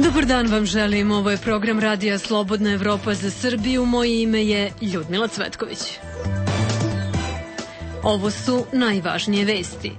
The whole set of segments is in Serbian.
Dobar dan vam želim, ovo je program Radija Slobodna Evropa za Srbiju, moje ime je Ljudmila Cvetković. Ovo su najvažnije vesti.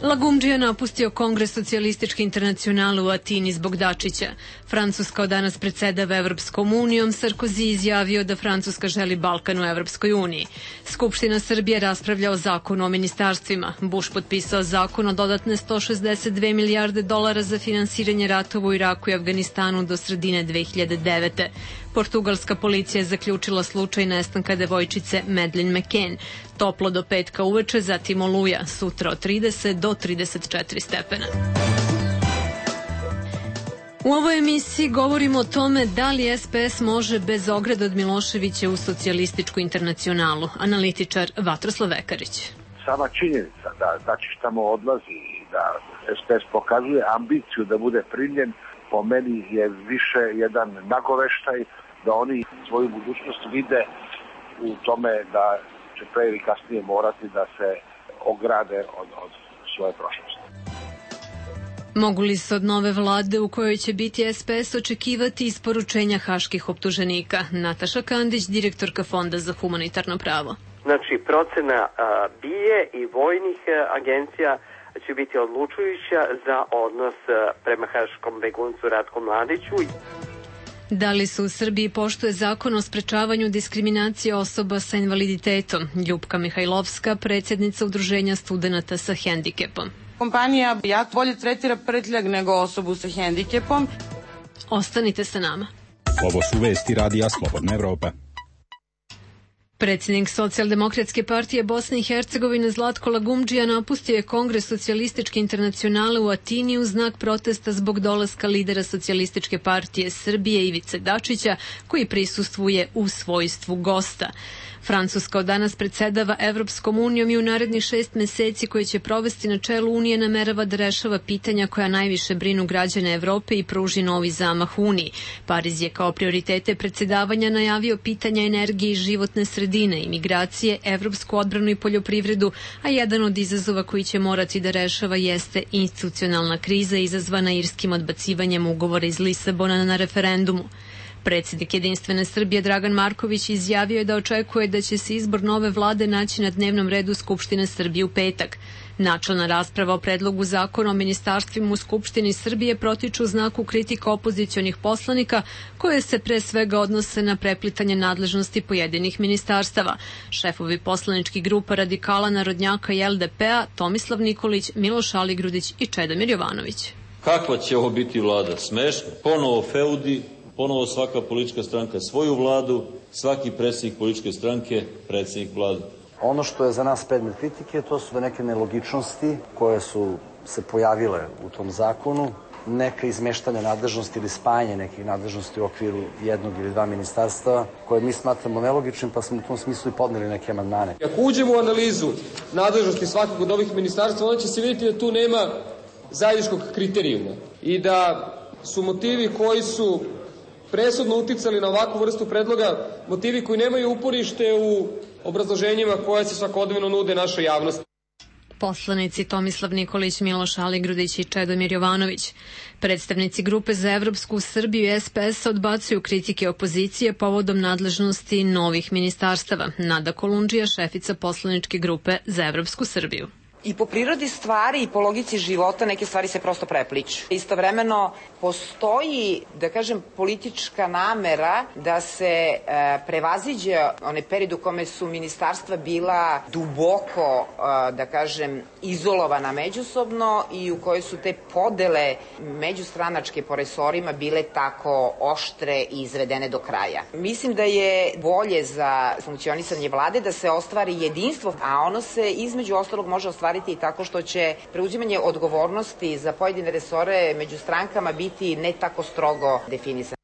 Lagumdžija napustio Kongres socijalističke internacionale u Atini zbog Dačića. Francuska od danas predsedava Evropskom unijom, Sarkozy izjavio da Francuska želi Balkan u Evropskoj uniji. Skupština Srbije raspravlja o zakonu o ministarstvima. Bush potpisao zakon o dodatne 162 milijarde dolara za finansiranje ratova u Iraku i Afganistanu do sredine 2009. Portugalska policija je zaključila slučaj nestanka devojčice Madeleine McCann. Toplo do petka uveče, zatim oluja, sutra od 30 do 34 stepena. U ovoj emisiji govorimo o tome da li SPS može bez ograda od Miloševića u socijalističku internacionalu. Analitičar Vatroslav Vekarić. Sama činjenica da Dačić tamo odlazi i da SPS pokazuje ambiciju da bude primljen, po meni je više jedan nagoveštaj da oni svoju budućnost vide u tome da će pre ili kasnije morati da se ograde od svoje prošlosti. Mogu li se od nove vlade u kojoj će biti SPS očekivati isporučenja haških optuženika? Nataša Kandić, direktorka Fonda za humanitarno pravo. Znači, procena BIA i vojnih agencija će biti odlučujuća za odnos prema haškom beguncu Ratku Mladiću. Da li se u Srbiji poštuje zakon o sprečavanju diskriminacije osoba sa invaliditetom? Ljupka Mihajlovska, predsjednica Udruženja studenata sa hendikepom. Kompanija jako bolje tretira prtljag nego osobu sa hendikepom. Ostanite sa nama. Ovo su vesti Radija Slobodna Evropa. Predsjednik Socijaldemokratske partije Bosne i Hercegovine Zlatko Lagumdžija napustio je Kongres socijalističke internacionale u Atini u znak protesta zbog dolaska lidera Socijalističke partije Srbije Ivice Dačića, koji prisustvuje u svojstvu gosta. Francuska od danas predsedava Evropskom unijom i u narednih 6 meseci koje će provesti na čelu Unije namerava da rešava pitanja koja najviše brinu građane Evrope i pruži novi zamah Uniji. Pariz je kao prioritete predsedavanja najavio pitanja energije i životne sredine, imigracije, evropsku odbranu i poljoprivredu, a jedan od izazova koji će morati da rešava jeste institucionalna kriza izazvana irskim odbacivanjem ugovora iz Lisabona na referendumu. Predsjednik Jedinstvene Srbije Dragan Marković izjavio je da očekuje da će se izbor nove vlade naći na dnevnom redu Skupštine Srbije u petak. Načelna rasprava o predlogu zakona o ministarstvima u Skupštini Srbije protiču u znaku kritika opozicionih poslanika koje se pre svega odnose na preplitanje nadležnosti pojedinih ministarstava. Šefovi poslaničkih grupa Radikala, Narodnjaka i LDP-a Tomislav Nikolić, Miloš Aligrudić i Čedomir Jovanović. Kakva će ovo biti vlada? Smešno. Ponovo feudi, ponovo svaka politička stranka svoju vladu, svaki predsjednik političke stranke, predsjednik vlade. Ono što je za nas predmet kritike, to su neke nelogičnosti koje su se pojavile u tom zakonu, neka izmeštanja nadležnosti ili spajanje nekih nadležnosti u okviru jednog ili dva ministarstava, koje mi smatramo nelogičnim, pa smo u tom smislu i podneli neke amandmane. Ako uđemo u analizu nadležnosti svakog od ovih ministarstva, onda će se vidjeti da tu nema zajedničkog kriterijuma i da su motivi koji su presudno uticali na ovakvu vrstu predloga, motivi koji nemaju uporište u obrazloženjima koje se svakodnevno nude našoj javnosti. Poslanici Tomislav Nikolić, Miloš Aligrudić i Čedomir Jovanović. Predstavnici grupe za Evropsku Srbiju i SPS odbacuju kritike opozicije povodom nadležnosti novih ministarstava. Nada Kolundžija, šefica poslaničke grupe za Evropsku Srbiju. I po prirodi stvari i po logici života neke stvari se prosto prepliču. Istovremeno postoji, da kažem, politička namera da se prevaziđe onaj period u kome su ministarstva bila duboko, da kažem, izolovana međusobno i u kojoj su te podele međustranačke po resorima bile tako oštre i izvedene do kraja. Mislim da je bolje za funkcionisanje vlade da se ostvari jedinstvo, a ono se između ostalog može ostvariti i tako što će preuzimanje odgovornosti za pojedine resore među strankama biti ne tako strogo definisano.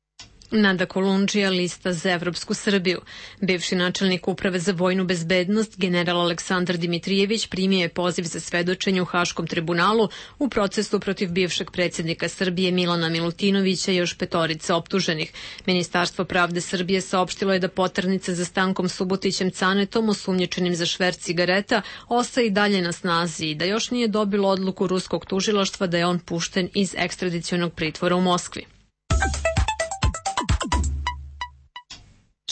Nada Kolundžija, lista za Evropsku Srbiju. Bivši načelnik Uprave za vojnu bezbednost, general Aleksandar Dimitrijević, primio je poziv za svedočenje u Haškom tribunalu u procesu protiv bivšeg predsjednika Srbije Milana Milutinovića i još 5 optuženih. Ministarstvo pravde Srbije saopštilo je da poternica za Stankom Subotićem Canetom, osumnjičenim za šverc cigareta, ostaje i dalje na snazi i da još nije dobilo odluku ruskog tužilaštva da je on pušten iz ekstradicionog pritvora u Moskvi.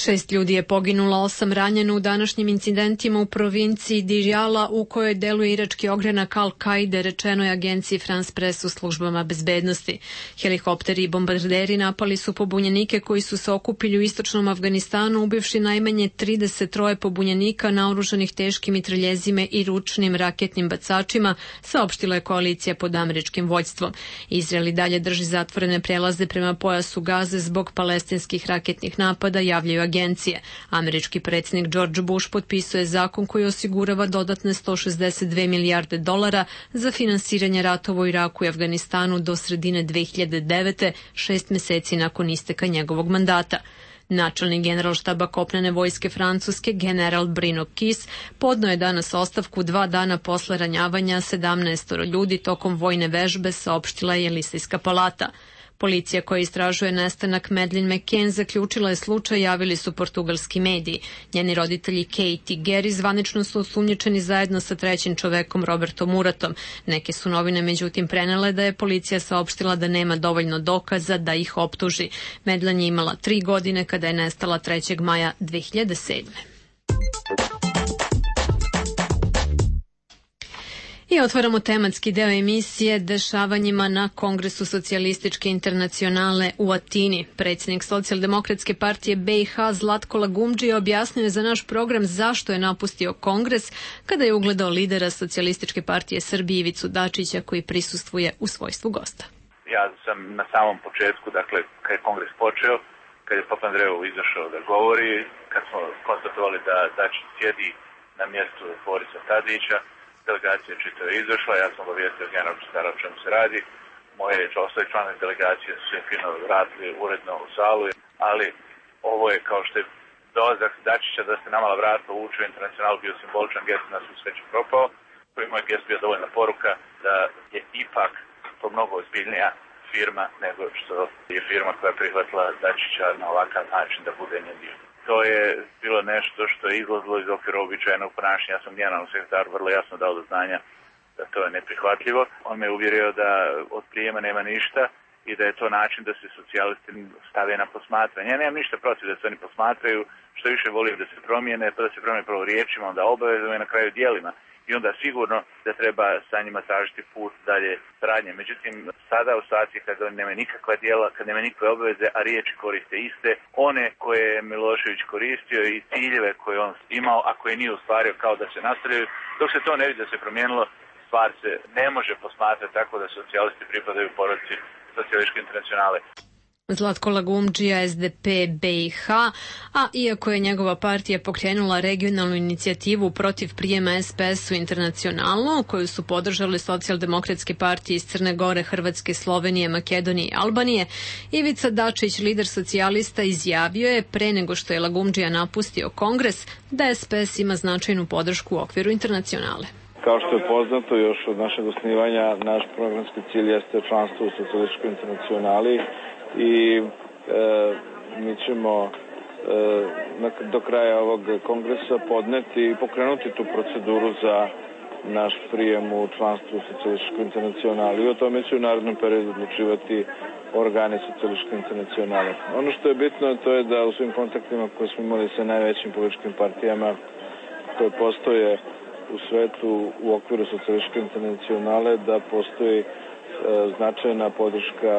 6 ljudi je poginulo, 8 ranjeno u današnjim incidentima u provinciji Diyala u kojoj deluje irački ogranak Al-Kaide, rečeno je agenciji France Press u službama bezbednosti. Helikopteri i bombarderi napali su pobunjenike koji su se okupili u istočnom Afganistanu, ubivši najmanje 33 pobunjenika naoružanih teškim mitraljezima i ručnim raketnim bacačima, saopštila je koalicija pod američkim vođstvom. Izrael i dalje drži zatvorene prelaze prema pojasu Gaze zbog palestinskih raketnih napada, javljaju agencije. Američki predsjednik George Bush potpisuje zakon koji osigurava dodatne $162 milijarde za finansiranje ratova u Iraku i Afganistanu do sredine 2009. 6 meseci nakon isteka njegovog mandata. Načelnik generalštaba kopnene vojske Francuske, general Bruno Kiss, podneo je danas ostavku 2 dana posle ranjavanja 17 ljudi tokom vojne vežbe, saopštila je Elisejska palata. Policija koja istražuje nestanak Madeleine McCann zaključila je slučaj, javili su portugalski mediji. Njeni roditelji Kate i Gary zvanično su osumnjičeni zajedno sa trećim čovekom Robertom Muratom. Neke su novine međutim prenele da je policija saopštila da nema dovoljno dokaza da ih optuži. Madeleine je imala 3 godine kada je nestala 3. maja 2007. I otvaramo tematski deo emisije dešavanjima na Kongresu socijalističke internacionale u Atini. Predsjednik Socijaldemokratske partije BiH Zlatko Lagumdžija objasnio je za naš program zašto je napustio Kongres kada je ugledao lidera Socijalističke partije Srbije Ivicu Dačića koji prisustvuje u svojstvu gosta. Ja sam na samom početku, dakle, kad je Kongres počeo, kad je Papandreou izašao da govori, kad smo konstatovali da Dačić sjedi na mjestu Borisa Tadića, delegacija čito je izašla, ja sam obavijestio generalnog sekretara o čemu se radi. Moje ostali članovi delegacije su se fino vratili uredno u salu, ali ovo je kao što je dolazak Dačića da se namala vrata uvuče u internacional bio simboličan gest, na svu sreću propao. Koji moj gest bio dovoljna poruka da je ipak to mnogo ozbiljnija firma nego što je firma koja je prihvatila Dačića na ovakav način da bude njen dio. To je bilo nešto što je izlazilo iz okvira običajnog ponašanja. Ja sam generalnom sekretaru vrlo jasno dao do znanja da to je neprihvatljivo. On me uvjerio da od prijema nema ništa i da je to način da se socijalisti stave na posmatranje. Ja nemam ništa protiv da se oni posmatraju, što više volim da se promijene, pa da se promijene prvo riječima, onda obavezama i na kraju djelima. I onda sigurno da treba sa njima tražiti put dalje saradnje. Međutim, sada u situaciji kada oni nemaju nikakva djela, kada nemaju nikakve obaveze, a riječi koriste iste, one koje je Milošević koristio i ciljeve koje on imao, a koje nije ostvario kao da se nastavljaju, dok se to ne vidi da se promijenilo, stvar se ne može posmatrati tako da socijalisti pripadaju porodici Socijalističke internacionale. Zlatko Lagumdžija, SDP BiH, a iako je njegova partija pokrenula regionalnu inicijativu protiv prijema SPS u internacionalno, koju su podržali socijaldemokratske partije iz Crne Gore, Hrvatske, Slovenije, Makedonije i Albanije, Ivica Dačić, lider socijalista, izjavio je pre nego što je Lagumdžija napustio Kongres da SPS ima značajnu podršku u okviru internacionale. Kao što je poznato još od našeg osnivanja, naš programski cilj jeste članstvo u Socijalističkoj internacionali i mi ćemo do kraja ovog kongresa podneti i pokrenuti tu proceduru za naš prijem u članstvo u Socijalističkoj internacionali i o tome će u narednom periodu odlučivati organi Socijalističke internacionale. Ono što je bitno to je da u svim kontaktima koje smo imali sa najvećim političkim partijama koje postoje u svetu u okviru Socijalističke internacionale da postoji značajna podrška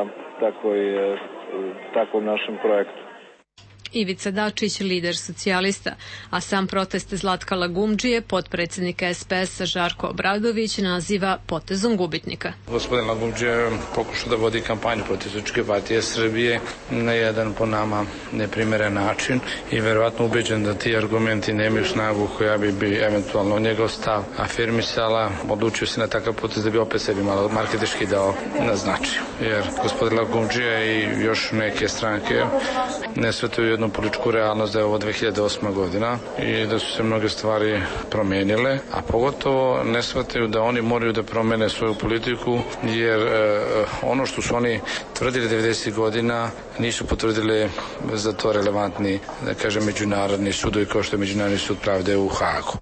takvom našem projektu. Ivica Dačić, lider socijalista, a sam protest Zlatka Lagumdžije, potpredsjednika SPS-a Žarko Obradović, naziva potezom gubitnika. Gospodin Lagumdžija je pokušao da vodi kampanju protiv Socijalističke partije Srbije na jedan po nama neprimeren način i verovatno ubeđen da ti argumenti nemaju snagu koja bi eventualno njegov stav afirmisala, odlučio se na takav potez da bi opet sebi malo marketički dao na značaju. Jer gospodin Lagumdžija i još neke stranke ne shvataju jednu političku realnost da je ovo 2008. godina i da su se mnoge stvari promenile, a pogotovo ne shvataju da oni moraju da promene svoju politiku jer ono što su oni tvrdili 90. godina nisu potvrdili za to relevantni, da kažem, međunarodni sudovi kao što je Međunarodni sud pravde u Hagu.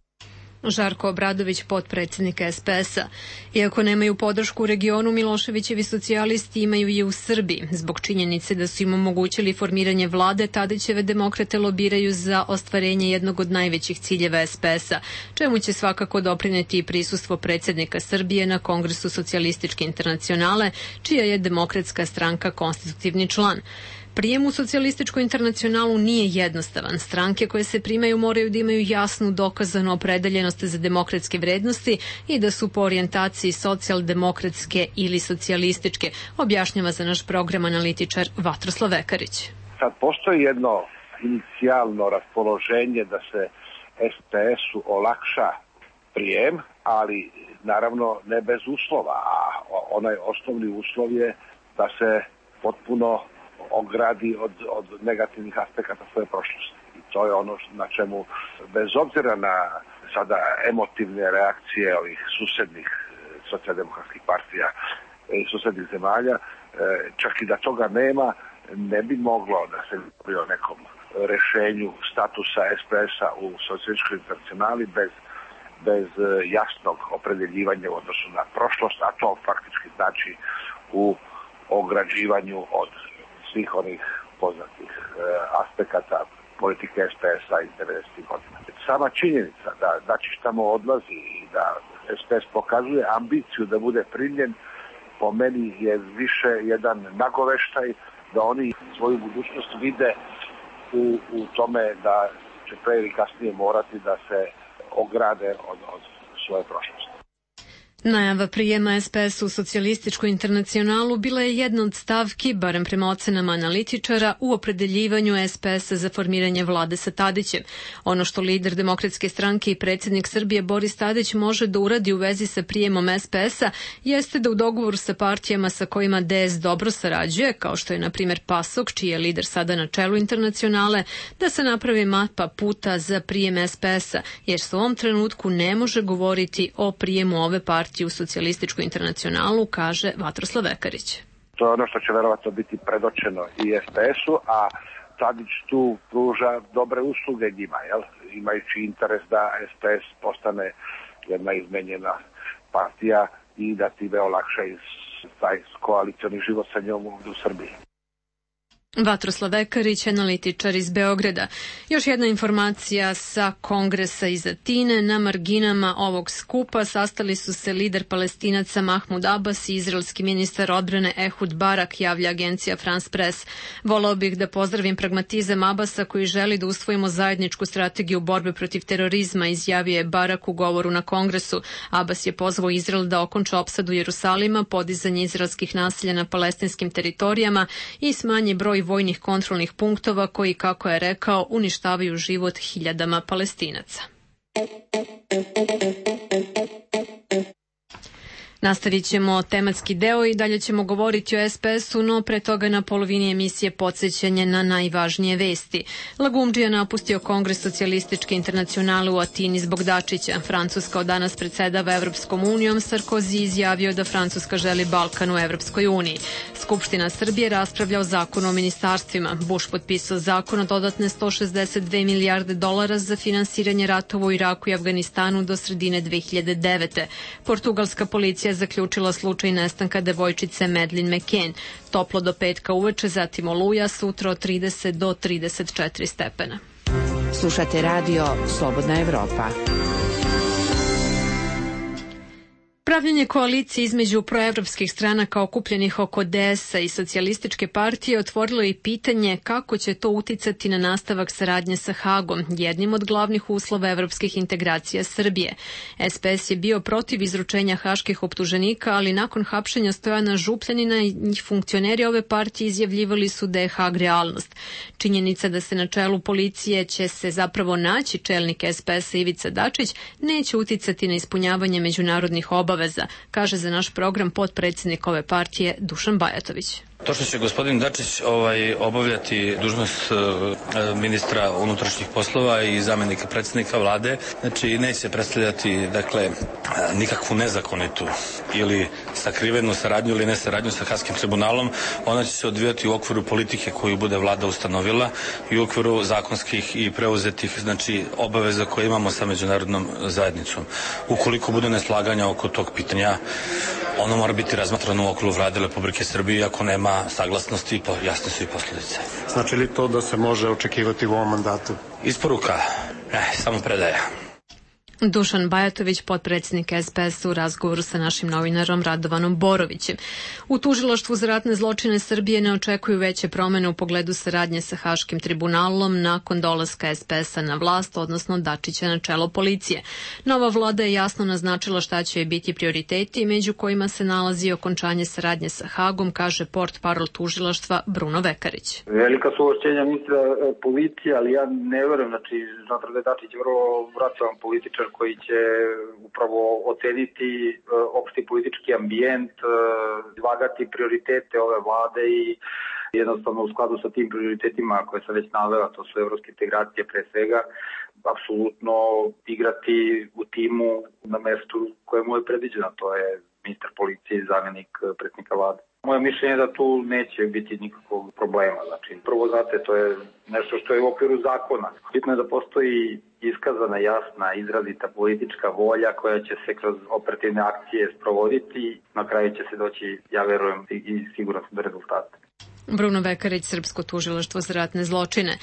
Žarko Obradović, potpredsjednik SPS-a. Iako nemaju podršku u regionu, Miloševićevi socijalisti imaju je u Srbiji. Zbog činjenice da su im omogućili formiranje vlade, Tadićeve demokrate lobiraju za ostvarenje jednog od najvećih ciljeva SPS-a, čemu će svakako doprineti i prisustvo predsjednika Srbije na Kongresu socijalističke internacionale, čija je Demokratska stranka konstitutivni član. Prijem u socijalističku internacionalu nije jednostavan. Stranke koje se primaju moraju da imaju jasnu dokazanu opredeljenost za demokratske vrednosti i da su po orijentaciji socijaldemokratske ili socijalističke, objašnjava za naš program analitičar Vatroslav Vekarić. Sad postoji jedno inicijalno raspoloženje da se SPS-u olakša prijem, ali naravno ne bez uslova, a onaj osnovni uslov je da se potpuno ogradi od negativnih aspekata svoje prošlosti. I to je ono na čemu, bez obzira na sada emotivne reakcije ovih susednih socijaldemokratskih partija i susednih zemalja, čak i da toga nema, ne bi moglo da se govori o nekom rešenju statusa SPS-a u socijalističkoj internacionali bez jasnog opredeljivanja u odnosu na prošlost, a to faktički znači u ograđivanju od svih onih poznatih aspekata politike SPS-a iz 90. godina. Sama činjenica da Dačić tamo odlazi i da SPS pokazuje ambiciju da bude primljen, po meni je više jedan nagoveštaj da oni svoju budućnost vide u tome da će pre ili kasnije morati da se ograde od svoje prošlosti. Najava prijema SPS u socijalističku internacionalu bila je jedna od stavki, barem prema ocenama analitičara, u opredeljivanju SPS-a za formiranje vlade sa Tadićem. Ono što lider Demokratske stranke i predsjednik Srbije Boris Tadić može da uradi u vezi sa prijemom SPS-a jeste da u dogovoru sa partijama sa kojima DS dobro sarađuje, kao što je na primjer PASOK, čiji je lider sada na čelu internacionale, da se napravi mapa puta za prijem SPS-a, jer se u ovom trenutku ne može govoriti o prijemu ove partije u socijalističku internacionalu, kaže Vatroslav Vekarić. To je ono što će verovatno biti predočeno i SPS-u, a Tadić tu pruža dobre usluge njima, imajući interes da SPS postane jedna izmenjena partija i da time olakša taj koalicioni život sa njom u Srbiji. Vatroslav Vekarić, analitičar iz Beograda. Još jedna informacija sa Kongresa iz Atine. Na marginama ovog skupa sastali su se lider Palestinaca Mahmud Abbas i izraelski ministar odbrane Ehud Barak, javlja agencija France Press. Voleo bih da pozdravim pragmatizam Abbasa koji želi da usvojimo zajedničku strategiju borbe protiv terorizma, izjavio je Barak u govoru na Kongresu. Abbas je pozvao Izrael da okonča opsadu Jerusalima, podizanje izraelskih naselja na palestinskim teritorijama i smanji broj vojnih kontrolnih punktova koji, kako je rekao, uništavaju život hiljadama Palestinaca. Nastavit ćemo tematski deo i dalje ćemo govoriti o SPS-u, no pre toga na polovini emisije podsjećanje na najvažnije vesti. Lagumdžija napustio Kongres socijalističke internacionale u Atini zbog Dačića. Francuska od danas predsedava Evropskom unijom, Sarkozy izjavio da Francuska želi Balkan u Evropskoj uniji. Skupština Srbije raspravlja o zakonu o ministarstvima. Bush potpisao zakon o dodatne 162 milijarde dolara za finansiranje ratova u Iraku i Afganistanu do sredine 2009. Portugalska policija zaključila slučaj nestanka devojčice Madeleine McCann. Toplo do petka uveče, zatim oluja, sutra od 30 do 34 stepena. Slušate radio Slobodna Evropa. Pravljenje koalicije između proevropskih stranaka okupljenih oko DS-a i socijalističke partije otvorilo i pitanje kako će to uticati na nastavak saradnje sa Hagom, jednim od glavnih uslova evropskih integracija Srbije. SPS je bio protiv izručenja haških optuženika, ali nakon hapšenja Stojana Župljanina i funkcioneri ove partije izjavljivali su da je Hag realnost. Činjenica da se na čelu policije će se zapravo naći čelnik SPS-a Ivica Dačić neće uticati na ispunjavanje međunarodnih obaveza, kaže za naš program potpredsjednik ove partije Dušan Bajatović. To što će gospodin Dačić obavljati dužnost ministra unutrašnjih poslova i zamenika predsjednika vlade, znači neće predstavljati nikakvu nezakonitu ili sakrivenu saradnju ili nesaradnju sa Haškim tribunalom, ona će se odvijati u okviru politike koju bude vlada ustanovila i u okviru zakonskih i preuzetih, znači, obaveza koje imamo sa međunarodnom zajednicom. Ukoliko bude neslaganja oko tog pitanja, ono mora biti razmatrano u okviru vlade Republike Srbije, ako nema saglasnosti, jasne su i posljedice. Znači li to da se može očekivati u ovom mandatu? Isporuka? Ne, samo predaja. Dušan Bajatović, potpredsjednik SPS u razgovoru sa našim novinarom Radovanom Borovićem. U tužilaštvu za ratne zločine Srbije ne očekuju veće promene u pogledu saradnje sa Haškim tribunalom nakon dolaska SPS-a na vlast, odnosno Dačića na čelo policije. Nova vlada je jasno naznačila šta će biti prioriteti, među kojima se nalazi okončanje saradnje sa Hagom, kaže portparol tužilaštva Bruno Vekarić. Velika su ovlašćenja ministra policije, ali ja ne verujem, znači, smatram da je Dačić vrlo racionalan političar koji će upravo oceniti opšti politički ambijent, izvagati prioritete ove vlade i jednostavno u skladu sa tim prioritetima koje sam već navela, to su evropske integracije pre svega, apsolutno igrati u timu na mestu koje mu je predviđeno, to je ministar policije i zamjenik predsjednika vlade. Moje mišljenje je da tu neće biti nikakvog problema. Znači, prvo, znate, to je nešto što je u okviru zakona. Bitno je da postoji iskazana, jasna, izrazita politička volja koja će se kroz operativne akcije sprovoditi. Na kraju će se doći, ja verujem, i sigurno do rezultata. Bruno Vekarić, Srpsko tužilaštvo za ratne zločine.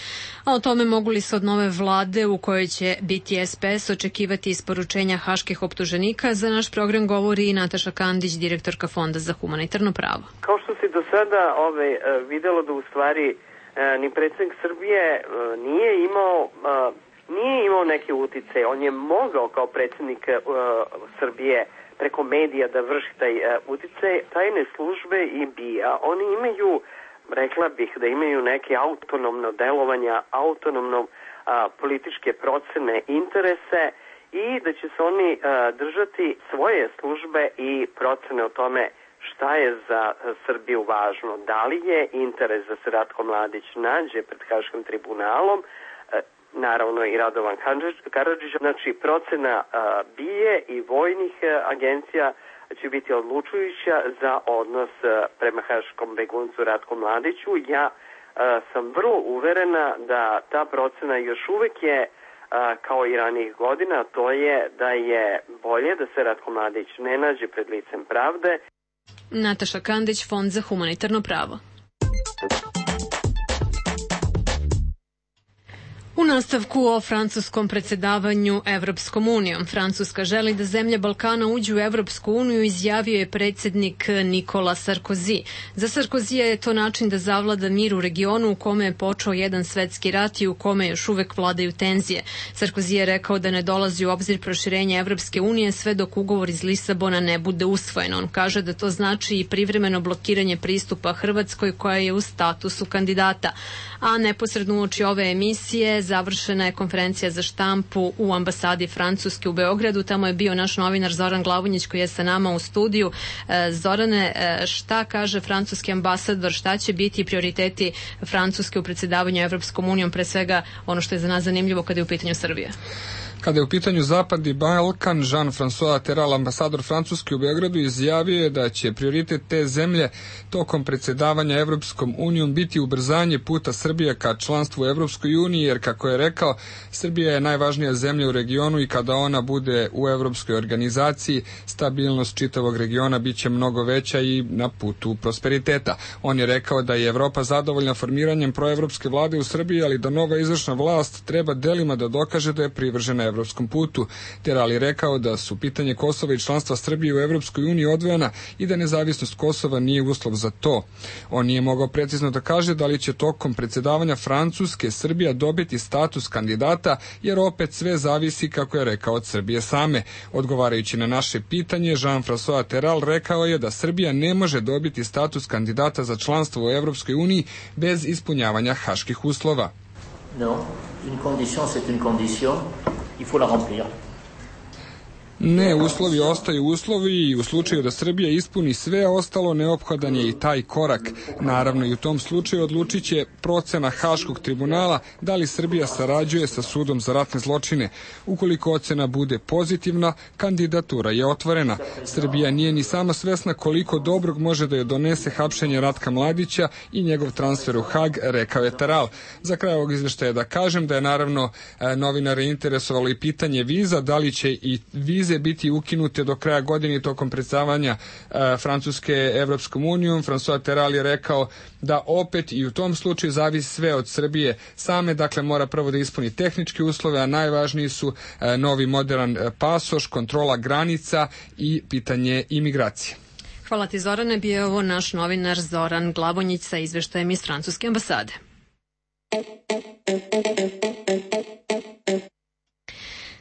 A o tome mogu li se od nove vlade u kojoj će biti SPS očekivati isporučenja haških optuženika, za naš program govori i Nataša Kandić, direktorka Fonda za humanitarno pravo. Kao što se do sada videlo da u stvari ni predsjednik Srbije nije imao neke utice. On je mogao kao predsjednik Srbije preko medija da vrši taj utice. Tajne službe i BIA, oni imaju, rekla bih da imaju neke autonomno delovanja, autonomno političke procene, interese i da će se oni držati svoje službe i procene o tome šta je za Srbiju važno. Da li je interes da se Ratko Mladić nađe pred Haškim tribunalom, naravno i Radovan Karadžić, znači procena BIA i vojnih agencija će biti odlučujuća za odnos prema haškom beguncu Ratku Mladiću. Ja sam vrlo uverena da ta procena još uvek je kao i ranijih godina, to je da je bolje da se Ratko Mladić ne nađe pred licem pravde. Nataša Kandić, Fond za humanitarno pravo. U nastavku o francuskom predsjedavanju Evropskom unijom. Francuska želi da zemlje Balkana uđu u Evropsku uniju, izjavio je predsjednik Nikola Sarkozy. Za Sarkozija je to način da zavlada mir u regionu u kome je počeo jedan svetski rat i u kome još uvek vladaju tenzije. Sarkozy je rekao da ne dolazi u obzir proširenje Evropske unije sve dok ugovor iz Lisabona ne bude usvojen. On kaže da to znači i privremeno blokiranje pristupa Hrvatskoj koja je u statusu kandidata. A neposredno uoči ove emisije završena je konferencija za štampu u ambasadi Francuske u Beogradu. Tamo je bio naš novinar Zoran Glavonjić koji je sa nama u studiju. Zorane, šta kaže francuski ambasador, šta će biti prioriteti Francuske u predsjedavanju Evropskom unijom, pre svega ono što je za nas zanimljivo kada je u pitanju Srbije? Kada je u pitanju Zapadni Balkan, Jean-François Terral, ambasador Francuske u Beogradu, izjavio je da će prioritet te zemlje tokom predsjedavanja Evropskom unijom biti ubrzanje puta Srbije ka članstvu u Evropskoj uniji, jer kako je rekao, Srbija je najvažnija zemlja u regionu i kada ona bude u Evropskoj organizaciji, stabilnost čitavog regiona biće mnogo veća i na putu prosperiteta. On je rekao da je Evropa zadovoljna formiranjem proevropske vlade u Srbiji, ali da nova izvršna vlast treba delima da dokaže da je privržena evropskom putu. Terral je rekao da su pitanje Kosova i članstva Srbije u Evropskoj uniji odvojena i da nezavisnost Kosova nije uslov za to. On nije mogao precizno da kaže da li će tokom predsjedavanja Francuske Srbija dobiti status kandidata, jer opet sve zavisi, kako je rekao, od Srbije same. Odgovarajući na naše pitanje, Jean-François Terral rekao je da Srbija ne može dobiti status kandidata za članstvo u Evropskoj uniji bez ispunjavanja haških uslova. Non, une condition, c'est une condition. Il faut la remplir. Ne, uslovi ostaju uslovi i u slučaju da Srbija ispuni sve ostalo, neophodan je i taj korak. Naravno i u tom slučaju odlučit će procena Haškog tribunala da li Srbija sarađuje sa sudom za ratne zločine. Ukoliko ocena bude pozitivna, kandidatura je otvorena. Srbija nije ni sama svesna koliko dobrog može da je donese hapšenje Ratka Mladića i njegov transfer u Hag, rekao je Teral. Za kraj ovog izveštaja da kažem da je naravno novinare interesovalo i pitanje viza, da li će i vize biti ukinute do kraja godine tokom predstavljanja Francuske Evropskom unijom. François Teral je rekao da opet i u tom slučaju zavisi sve od Srbije same, dakle mora prvo da ispuni tehničke uslove, a najvažniji su novi modern pasoš, kontrola granica i pitanje imigracije. Hvala ti, Zorane. Bio je ovo naš novinar Zoran Glavonjić sa izveštajem iz Francuske ambasade.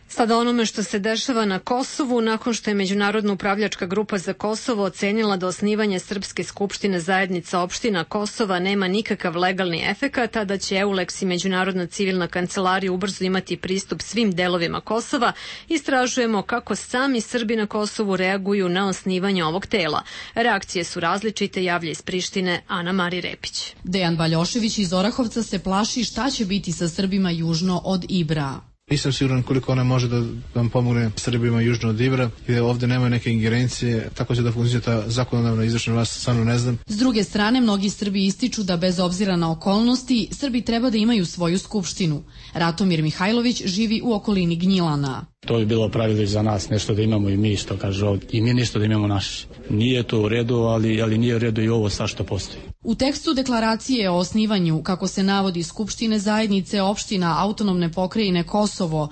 Sada onome što se dešava na Kosovu, nakon što je Međunarodna upravljačka grupa za Kosovo ocenila da osnivanje Srpske skupštine zajednica opština Kosova nema nikakav legalni efekat, a da će EULEX i Međunarodna civilna kancelarija ubrzo imati pristup svim delovima Kosova, istražujemo kako sami Srbi na Kosovu reaguju na osnivanje ovog tela. Reakcije su različite, javlja iz Prištine Ana Mari Repić. Dejan Baljošević iz Orahovca se plaši šta će biti sa Srbima južno od Ibra. Nisam siguran koliko ona može da vam pomogne Srbima južno od Ibra, gde ovde nemaju neke ingerencije, tako će da funkcionira ta zakonodavna izvršna vlast, stvarno ne znam. S druge strane, mnogi Srbi ističu da bez obzira na okolnosti, Srbi treba da imaju svoju skupštinu. Ratomir Mihajlović živi u okolini Gnjilana. To bi bilo pravilo i za nas, nešto da imamo i mi, što kaže ovdje, i mi nešto da imamo naše. Nije to u redu, ali nije u redu i ovo sad što postoji. U tekstu deklaracije o osnivanju, kako se navodi, Skupštine zajednice opština autonomne pokrajine Kosovo,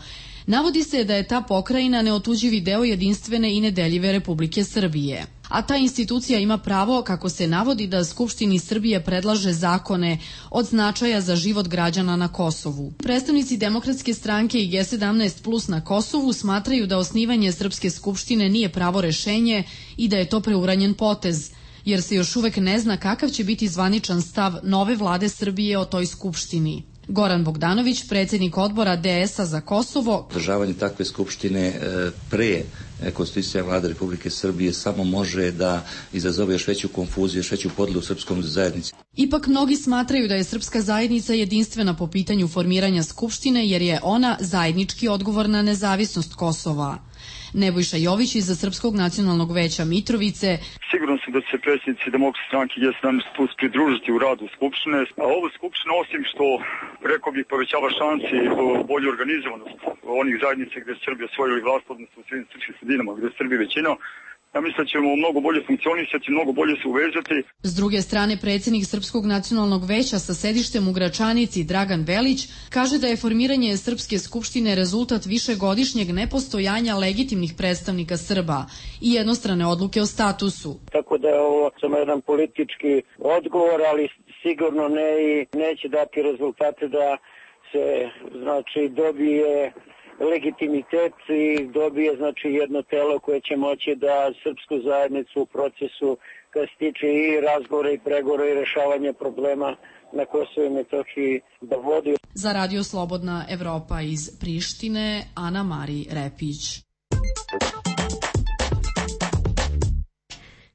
navodi se da je ta pokrajina neotuđivi deo jedinstvene i nedeljive Republike Srbije. A ta institucija ima pravo, kako se navodi, da Skupštini Srbije predlaže zakone od značaja za život građana na Kosovu. Predstavnici Demokratske stranke i G17 Plus na Kosovu smatraju da osnivanje Srpske skupštine nije pravo rešenje i da je to preuranjen potez, jer se još uvek ne zna kakav će biti zvaničan stav nove vlade Srbije o toj skupštini. Goran Bogdanović, predsjednik odbora DS-a za Kosovo. Održavanje takve skupštine pre konstitucija vlade Republike Srbije samo može da izazove još veću konfuziju, još veću podelu u srpskom zajednici. Ipak mnogi smatraju da je srpska zajednica jedinstvena po pitanju formiranja skupštine, jer je ona zajednički odgovor na nezavisnost Kosova. Nebojša Jović iz Srpskog nacionalnog veća Mitrovice. Siguran sam da će se predsjednici Demokratske stranke G17 Plus pridružiti u radu Skupštine. A ova Skupština, osim što, rekao bih, povećava šansi bolju organizovanost onih zajednica gdje je Srbija osvojili vlast, odnosno u svim srpskim sredinama gdje je Srbija većina, ja mislim da ćemo mnogo bolje funkcionisati, mnogo bolje se uvezati. S druge strane, predsjednik Srpskog nacionalnog veća sa sedištem u Gračanici, Dragan Velić, kaže da je formiranje Srpske skupštine rezultat višegodišnjeg nepostojanja legitimnih predstavnika Srba i jednostrane odluke o statusu. Tako da je ovo samo jedan politički odgovor, ali sigurno ne i neće dati rezultate da se dobije legitimitet i dobije jedno telo koje će moći da srpsku zajednicu u procesu kad se tiče i razgovora i pregovora i rešavanja problema na Kosovu i Metohiji da vodi. Za Radio Slobodna Evropa iz Prištine, Ana Mari Repić.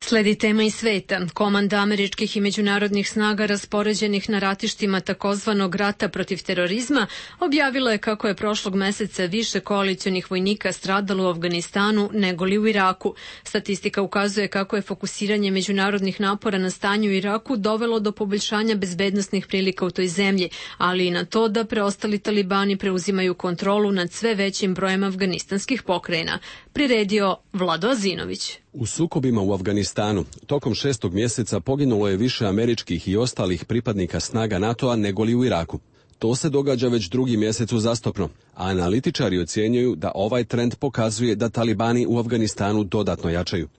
Sledi tema iz sveta. Komanda američkih i međunarodnih snaga raspoređenih na ratištima takozvanog rata protiv terorizma objavila je kako je prošlog meseca više koalicionih vojnika stradalo u Afganistanu nego li u Iraku. Statistika ukazuje kako je fokusiranje međunarodnih napora na stanju u Iraku dovelo do poboljšanja bezbednosnih prilika u toj zemlji, ali i na to da preostali talibani preuzimaju kontrolu nad sve većim brojem afganistanskih pokrajina. Priredio Vlado Azinović. U sukobima u Afganistanu tokom 6. mjeseca poginulo je više američkih i ostalih pripadnika snaga NATO-a nego li u Iraku. To se događa već drugi mjesec uzastopno, a analitičari ocjenjuju da ovaj trend pokazuje da talibani u Afganistanu dodatno jačaju.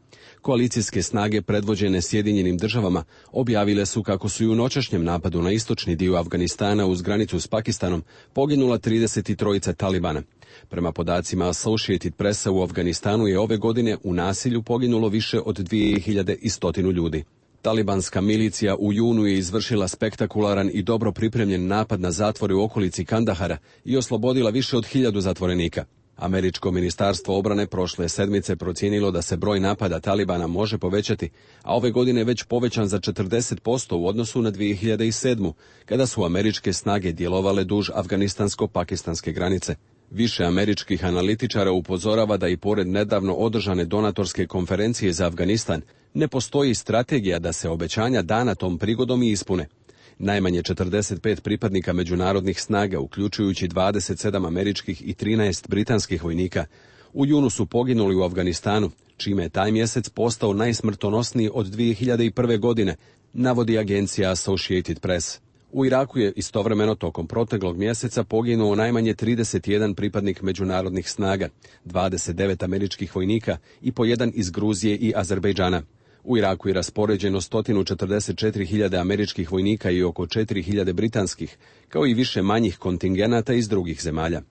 Koalicijske snage predvođene Sjedinjenim državama objavile su kako su i u noćašnjem napadu na istočni dio Afganistana uz granicu s Pakistanom poginula 33 talibana. Prema podacima Associated Pressa, u Afganistanu je ove godine u nasilju poginulo više od 2100 ljudi. Talibanska milicija u junu je izvršila spektakularan i dobro pripremljen napad na zatvore u okolici Kandahara i oslobodila više od 1000 zatvorenika. Američko ministarstvo obrane prošle sedmice procijenilo da se broj napada Talibana može povećati, a ove godine već povećan za 40% u odnosu na 2007. kada su američke snage djelovale duž afganistansko-pakistanske granice. Više američkih analitičara upozorava da i pored nedavno održane donatorske konferencije za Afganistan ne postoji strategija da se obećanja dana tom prigodom i ispune. Najmanje 45 pripadnika međunarodnih snaga, uključujući 27 američkih i 13 britanskih vojnika, u junu su poginuli u Afganistanu, čime je taj mjesec postao najsmrtonosniji od 2001. godine, navodi agencija Associated Press. U Iraku je istovremeno tokom proteklog mjeseca poginuo najmanje 31 pripadnik međunarodnih snaga, 29 američkih vojnika i po jedan iz Gruzije i Azerbejdžana. U Iraku je raspoređeno 144.000 američkih vojnika i oko 4.000 britanskih, kao i više manjih kontingenata iz drugih zemalja.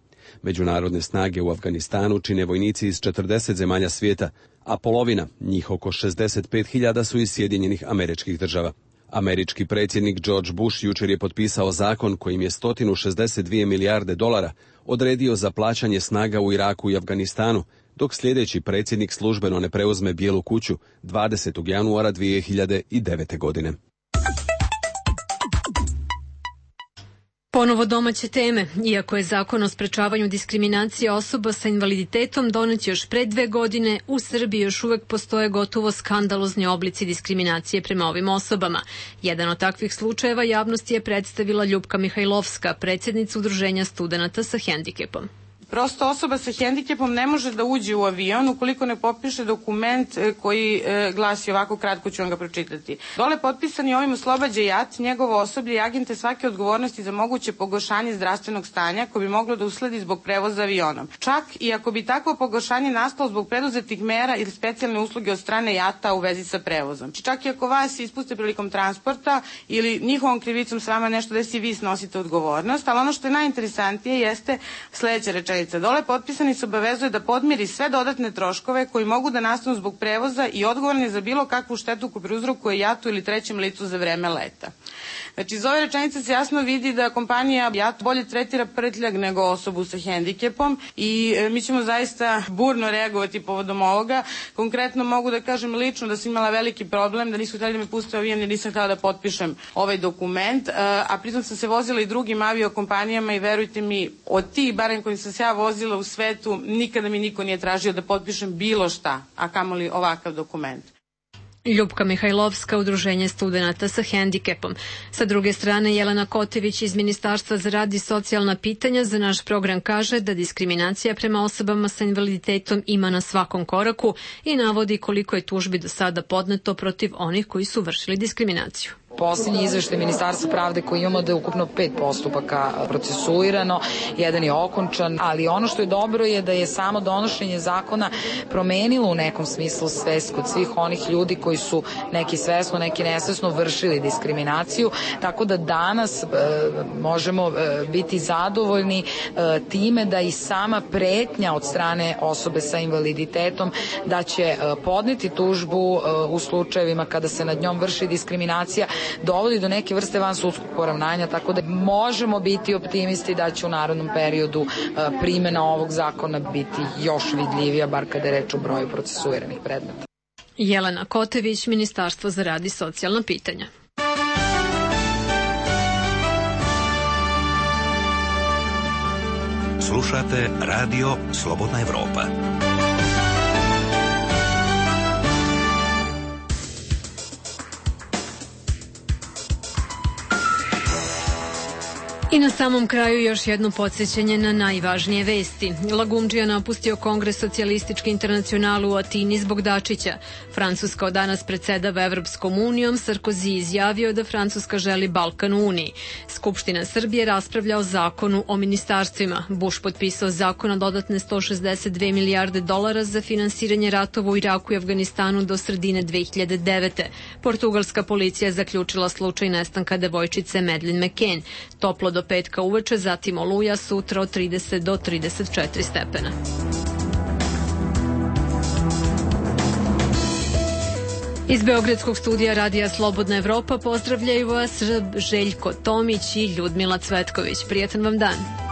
Međunarodne snage u Afganistanu čine vojnici iz 40 zemalja svijeta, a polovina, njih oko 65.000, su iz Sjedinjenih Američkih Država. Američki predsjednik George Bush jučer je potpisao zakon kojim je $162 milijarde odredio za plaćanje snaga u Iraku i Afganistanu, dok sljedeći predsjednik službeno ne preuzme Bijelu kuću 20. januara 2009. godine. Ponovo domaće teme. Iako je zakon o sprečavanju diskriminacije osoba sa invaliditetom donet još pre 2 godine, u Srbiji još uvek postoje gotovo skandalozni oblici diskriminacije prema ovim osobama. Jedan od takvih slučajeva javnosti je predstavila Ljupka Mihajlovska, predsjednica Udruženja studenata sa hendikepom. Prosto osoba sa hendikepom ne može da uđe u avion ukoliko ne potpiše dokument koji glasi ovako, kratko ću vam ga pročitati. Dole potpisani ovim oslobađa JAT, njegovo osoblje i agente svake odgovornosti za moguće pogoršanje zdravstvenog stanja koje bi moglo da usledi zbog prevoza avionom. Čak i ako bi takvo pogoršanje nastalo zbog preduzetih mera ili specijalne usluge od strane JAT-a u vezi sa prevozom. Čak i ako vas ispuste prilikom transporta ili njihovom krivicom s vama nešto desi, vi snosite odgovornost, ali ono što je najinteresantnije jeste sljedeća rečenica. Dole potpisani se obavezuje da podmiri sve dodatne troškove koji mogu da nastanu zbog prevoza i odgovorni za bilo kakvu štetu koju prouzrokuje JAT-u ili trećem licu za vreme leta. Znači, iz ove rečenice se jasno vidi da kompanija JAT bolje tretira prtljag nego osobu sa hendikepom i mi ćemo zaista burno reagovati povodom ovoga. Konkretno mogu da kažem lično da sam imala veliki problem, da nisu htjeli da me puste u avion jer nisam htjela da potpišem ovaj dokument, a pritom sam se vozila i drugim aviokompanijama i verujte mi, od tih barem kojim sam se ja vozila u svetu, nikada mi niko nije tražio da potpišem bilo šta, a kamoli ovakav dokument. Ljupka Mihajlovska, Udruženje studenata sa hendikepom. Sa druge strane, Jelena Kotević iz Ministarstva za rad i socijalna pitanja za naš program kaže da diskriminacija prema osobama sa invaliditetom ima na svakom koraku i navodi koliko je tužbi do sada podneto protiv onih koji su vršili diskriminaciju. Posljednji izveštaj Ministarstva pravde koji imamo da je ukupno 5 postupaka procesuirano, jedan je okončan, ali ono što je dobro je da je samo donošenje zakona promenilo u nekom smislu svest kod svih onih ljudi koji su neki svesno, neki nesvesno vršili diskriminaciju, tako da danas možemo biti zadovoljni time da i sama pretnja od strane osobe sa invaliditetom da će podneti tužbu u slučajevima kada se nad njom vrši diskriminacija dovodi do neke vrste vansudskog poravnanja, tako da možemo biti optimisti da će u narednom periodu primjena ovog zakona biti još vidljivija, bar kada je reč o broju procesuiranih predmeta. Jelena Kotević, Ministarstvo za rad i socijalna pitanja. Slušate Radio Slobodna Evropa. I na samom kraju još jedno podsjećanje na najvažnije vesti. Lagumdžija napustio Kongres socijalističke internacionale u Atini zbog Dačića. Francuska od danas predsedava Evropskom unijom, Sarkozy izjavio da Francuska želi Balkan u Uniji. Skupština Srbije raspravlja o zakonu o ministarstvima. Bush potpisao zakon o dodatne $162 milijarde za finansiranje ratova u Iraku i Afganistanu do sredine 2009. Portugalska policija je zaključila slučaj nestanka devojčice Madeleine McCann. Toplo do petka uveče, zatim oluja, sutra od 30 do 34 stepena. Iz Beogradskog studija Radija Slobodna Evropa pozdravljaju vas Željko Tomić i Ljudmila Cvetković. Prijatan vam dan.